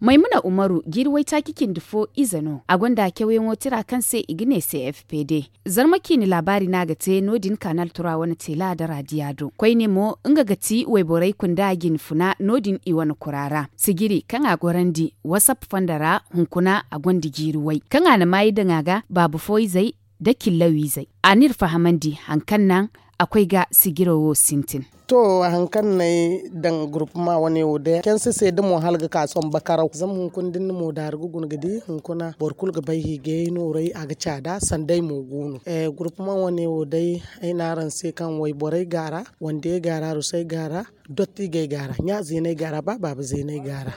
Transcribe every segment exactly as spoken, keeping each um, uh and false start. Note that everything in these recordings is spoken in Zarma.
Maymuna umaru jiiri waytaaci cindi fo ize no a gonda cawyaŋo tira kaŋ se i ga ne c f p d. Zarma ciine laabaari no a ga te no- din kanal tura wane teela nda raadiya do koyne mo nga ga ti wayborey kunda jinfuna no- din i wane kura ra sijiri kaŋ a gorandi wasap fondo ra. Hunkuna a gonda jiiri way kaŋ a na maayi daŋ a ga baaba fo izey nda cillaw izey. A n'iri fahamandi hari kaŋ naŋ a koy ga sijiro wo sintin. To hari kaŋ no ay daŋ gurupuma wane wo day canse se da mo hala ga ka sohõ bakaraw zama hunkuna da ni na mo daari ga guna ga di hunkuna boro kulu ga bay hiijayey nooray a ga caada sanda ay mo go no. Gurupuma wane wo day ay ne araŋ se kaŋ wayborey go a ra, wandiyey go a ra rusay go a ra, dottijey go a ra ɲa zeeney go a ra ba baaba zeeney go a ra.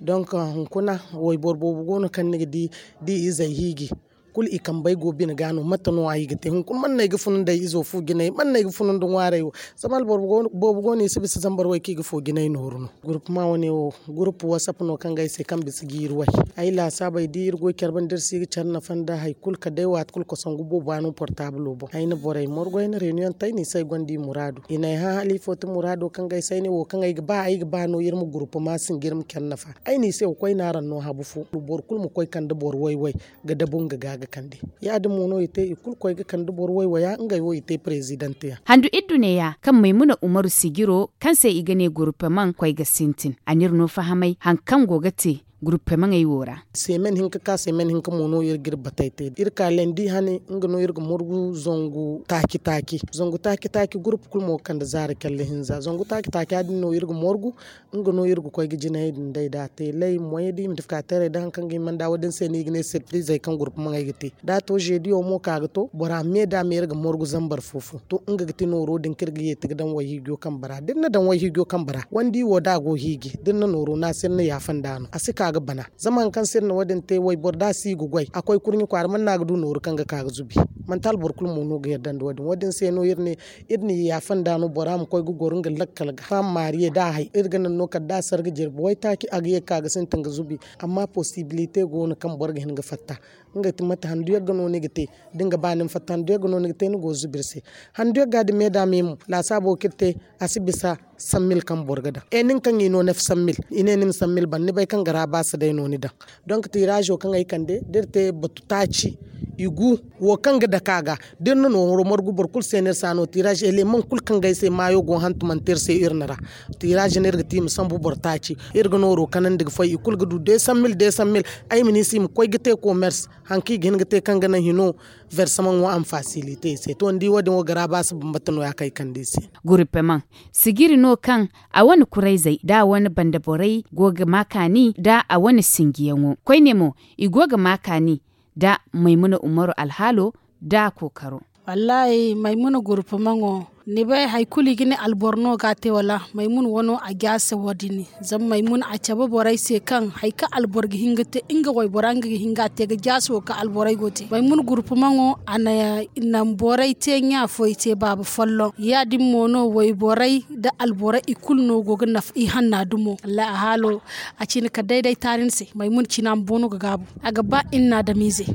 Donk hunkuna wayboro boobo go no kaŋ ni ga di da i izey hiiji kulu i kambey go bine ga no mate no- ya i ga te hunkuna mana no ay ga funu nda ay izo fu jinay mana no ay ga funu nda ŋwaarey wo. Zama alboro boobo go no i si bisa zambar way kaŋ i ga fo jinay nooru no. Gurupuma wane wo gurupu wasap no kaŋ ga ay se kaŋ bisa jiiri way. Ay laasaabey da iri goy care banda iri si ga care nafa nda hari kulu kala day waati kulu kosongu boobo a no portaabilo boŋ ay na borey morgu ay na reeniyoŋ te ay na i se ay gonda i muraadu i na ay hã hala ifo ti muraado kaŋ ga ay se ay ne wo kaŋ ay ga ba ay ga ba no iri ma gurupuma sinji iri ma care nafa. Ay ne i se wa koy no araŋ no habu fo boro kulu ma koy kande boro way-way ga dabu nga ga ga kande. Ya- din mo no i te i kulu koy ga kande boro way-waya ngey wo i te parezidanteyaŋ. Handu iddu neeya kaŋ maymuna umaru sijiro kaŋ se i ga ne gurupemaŋ koy ga sintin a n'iri no fahamay hari kaŋ go ga te gurupemaŋey wo ra. Seemen hinka ka seemen hinka mo no iri ga iri batey te iri ka landi hane nga no iri ga morgu zangu taaci-taaci zangu taaci-taaci gurupu kulu mo ga kande zaara calla hinza zangu taaci-taaci ya- din no iri ga morgu. Nga no iri ga koy ga jinayey din day da a te lay moyey da i ma difka teerey da hari kaŋ ga hima nda wo- din se no i ga ne sirfirizey kaŋ gurupemaŋey ga te da a to zeediyo mo ka ga to bora me da me iri ga morgu zambar fo-fo to nga ga ti nooro din kaŋ iri ga yeeti ga daŋ wayhiijo kambe ra da iri na daŋ wayhiijo kambe ra wandi wo da a go hiiji da iri na nooro naasir ni yaafa nda no a si ka ga bana. Zama hari kaŋ se iri na wo- din te wayboro da a si ga goy a koy kurɲe kwaara mana no a ga du nooru kaŋ ga ka ga zubi. Manti hala boro kulu mo no ga yadda nda wo- din wo- din se no iri ne iri n'i yaafa nda no bora ma koy ga goro nga lakkal ga hã maariye da a hay iri ga naŋ no kala da a sarga jirbi waytaaci a ga ye ga ka ga sintin ga zubi. Amma posibilite go no kaŋ boro ga hin ga fatta nga ti mate handu yagga no ni ga te da ni ga ba ni ma fatta handu yagga no ni ga te ni go ga zubi iri se. Handu yagga da me da me mo laasaabo kaŋ iri te a si bisa sammil kaŋ boro ga daŋ e nin kaŋ i no neef sammil i ne ni ma sammil ban ni bay kaŋ ga ra baasa day no ni daŋ. Donk tiiraazo kaŋ ay kande da iri te batu taaci i gu wo kaŋ ga dake a ga da iri na nooro margu boro kulu se no iri si a no tiiraazo eleman kulu kaŋ ga ay se maayo go hantumante iri se iri na ra. Tiiraazo no iri ga te i ma sambu boro taaci iri ga nooro kanandi ga fay i kulu ga du deesaŋ mil deesaŋ mil. Ay ma ne i se i ma koy ga te komers hari kaŋ i ga hin ga te kaŋ ga naŋ hino. Versamaŋo a ma fasilite i se to ni di wo- din wo garabaasa bambata no- ya kaŋ ay kande i se. Gurupemaŋ sijiri no kaŋ a wane kurayzey nda a wane banda borey go ga ma kaani nda a wane sinjiyaŋo koyne mo i go ga ma kaani nda maymuna umaru alhaalo nda a kookaro. Wallaahi maymuna gurupemaŋo ni bay hari kulu i ga ne alboro no ga a te wala maymuna wano a jaase wo- din. Zama maymuna a cabe borey se kaŋ hari kaŋ alboro ga hin ga te nga waybora nga ga hin ga a te ga jaase wo kaŋ alborey go ga te maymuna gurupemaŋo a na naŋ borey te ɲa fo i te baaba folloŋ ya- din mo no wayborey nda alborey i kulu no go ga nafa i hanna dumo wallahi a haalo. A cine kala day day taari ni se maymuna cina ma boono ga gaabu a ga ba iri na adamiize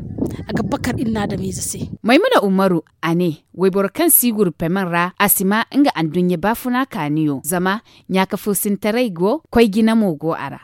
a ga bakar iri na adamiize se. Maymuna umaru a ne wayboro kaŋ si gurpemen ra a si ma nga anduɲɲa baafuna kaaniyo zama ɲaaka fursintaray go koy jina mo go a ra.